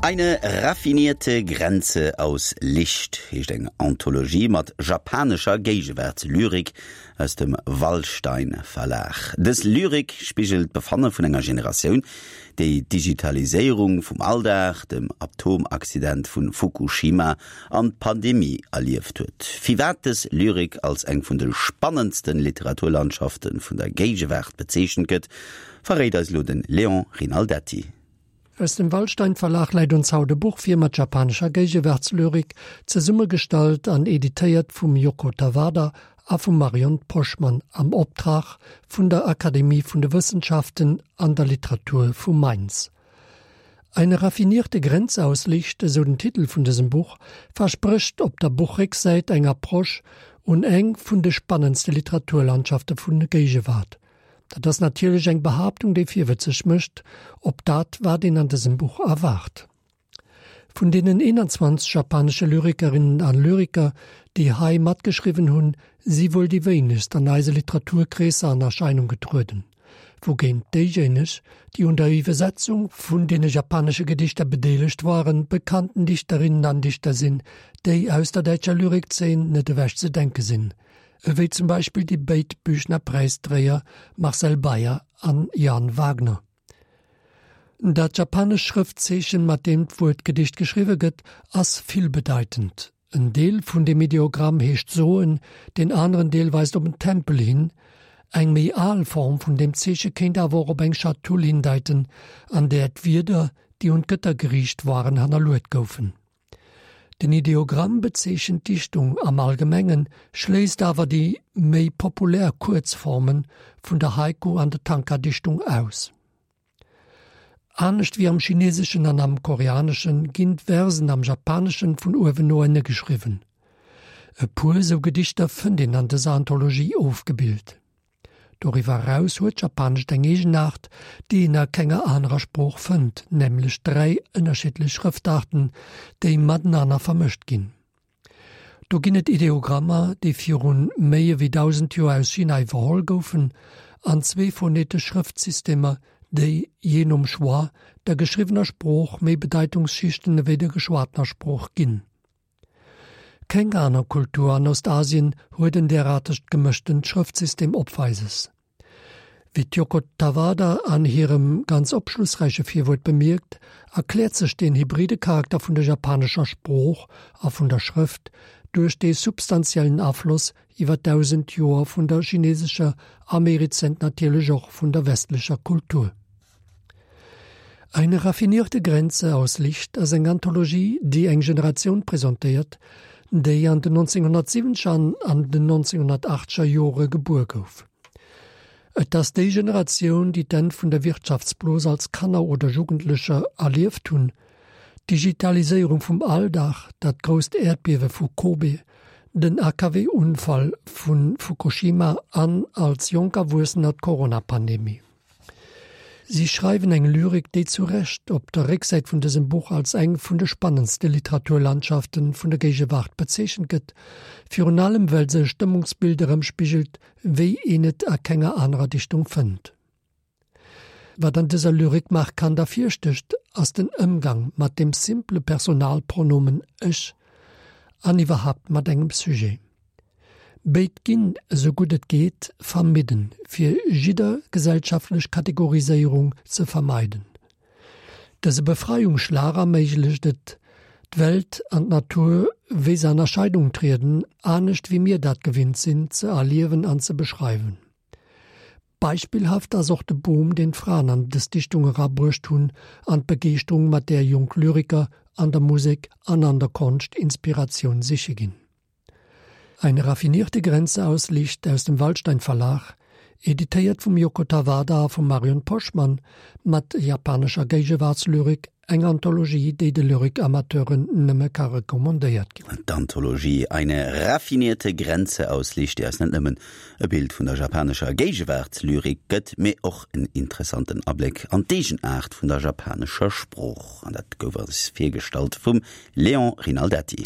Eine raffinierte Grenze aus Licht heescht eng Anthologie mat japanescher Géigewaartslyrik aus dem Wallstein Verlag. Dës Lyrik spigelt d'Befanne vun enger Generatioun, déi d'Digitaliséierung vum Alldag, dem Atomaccident vu Fukushima an d'Pandemie erlieft huet. Firwat dës Lyrik als eng vun de spannendste Literaturlandschafte vun der Géigewaart bezeechent gëtt, verréit eis elo de Léon Rinaldetti. Aus dem Wallstein Verlag läit ons haut e Buch vir mat japanescher Géigewaartslyrik, zesummegestallt an editéiert vum Yoko Tawada a vum Marion Poschmann am Optrag vun der Akademie vun de Wëssenschaften an der Literatur vu Mainz. Eine raffinierte Grenze aus Licht, esou den Titel vun dësem Buch, versprécht op der Buchrécksäit eng Approche un eng vun de spannendste Literaturlandschafte vun der Géigewaart. Dat ass natierlech eng Behaaptung, déi virwëtzeg mécht op dat, wat een an dësem Buch erwaart. Vun deenen 21 japanesche Lyrikerinnen a Lyriker, déi hei matgeschriwwen hunn, si wuel déi wéinegst an eise Literaturkreesser an Erscheinung getrueden, wougéint déijéineg, déi un der Iwwersetzung vun deene japanesche Gedichter bedeelegt waren, bekannten Dichterinnen an Dichter sinn, déi aus der däitscher Lyrikzeen net ewech ze denke sinn. ewéi zum Beispill déi béid Büchner-Präisdréier Marcel Beyer an Jan Wagner. Dat japanescht Schrëftzeechen, mat deem d'Wuert Gedicht geschriwwe gëtt, ass villbedeitend. En Deel vun deem Ideogramm heescht soen, deen aneren Deel weist op en Tempel hin. Eng méi al Form vun deem Zeeche kéint awer och op eng Schatull hindeiten, an där d'Wierder, déi un d'Gëtter geriicht waren, hannerluet goufen. Den Ideogramm bezeechent d'Dichtung am Allgemengen, schléisst awer déi méi populär Kuerzforme vun der Haiku an der Tanka-Dichtung aus. Anescht wéi am Chineeseschen an am Koreanesche ginn d'Versen am Japaneschen vun uewen no ënne geschriwwen. E puer sou Gedichter fënnt een an dëser Anthologie ofgebilt. Doriwwer eraus huet d'Japanescht eng Eegenaart, déi een a kenger anerer Sprooch fënnt, nämlech 3 ënnerschiddlech Schrëftaarten, déi matenaner vermëscht ginn. Do ginn et Ideogrammer, déi viru méi ewéi 1.000 Joer aus China iwwerholl goufen, an zwee phonetesch Schrëftsystemer, déi, jee nom Choix, der geschriwwener Sprooch méi Bedeitungsschichten ewéi der geschwatener Sprooch ginn. Keng aner Kultur an Ostasien huet en deraartegt gemëschtent Schrëftsystem opweises. Wéi d'Yoko Tawada an hirem ganz opschlussräiche Virwuert bemierkt, erkläert sech deen hybride Charakter vun der japanescher Sprooch a vun der Schrëft duerch dee substantiellen Afloss iwwer 1.000 Joer vun der chinesescher a méi rezent natierlech och vun der westlecher Kultur. Eine raffinierte Grenze aus Licht ass eng Anthologie, déi eng Generatioun presentéiert, déi an den 1970er an an den 1980er Jore gebuer gouf. Et ass déi Generatioun, déi d'Enn vun der Wirtschaftsblos als Kanner oder Jugendlecher erlieft hunn, d'Digitaliséierung vum Alldag, dat grousst Äerdbiewe vu Kobe, den AKW-Unfall vu Fukushima an als jonk Erwuessener d'Corona-Pandemie. Si schreiwen eng Lyrik, déi zu Recht op der Récksäit vun dësem Buch als eng vun de spannendste Literaturlandschafte vun der Géigewaart bezeechent gëtt, virun allem well se e Stëmmungsbild erëmspigelt, wéi een et a kenger anerer Dichtung fënnt. Wat an dëser Lyrik markant ervirstécht, ass den Ëmgang mat dem simple Personalpronomen ech an iwwerhaapt mat engem Sujet. Béid ginn, esou gutt et geet, vermidden, fir jidder gesellschaftlech Kategoriséierung ze vermeiden. Dëse Befreiungsschlag erméiglecht et, d'Welt an d'Natur, wéi se an Erscheinung trieden, anescht wéi mir dat gewinnt sinn, ze erliewen an ze beschreiwen. Beispillhaft ass och de Boom, deen d'Fraen an dës Dichtung erabruecht hunn an d'Begeeschterung, mat där jonk Lyriker an der Musek an an der Konscht Inspiratioun siche ginn. Eine raffinierte Grenze aus Licht aus dem Waldstein Verlag, editéiert vum Yoko Tawada a vum Marion Poschmann, mat japanescher Géigewaartslyrik, eng Anthologie, déi de Lyrikamateuren nëmme ka recommandéiert ginn. D'Anthologie Eine raffinierte Grenze aus Licht, déi eis net nëmmen e Bild vun der japanescher Géigewaartslyrik gëtt, mee och en interessanten Abléck an d'Eegenaart vun der japanescher Sprooch. An dat gouf eis virgestallt vum Léon Rinaldetti.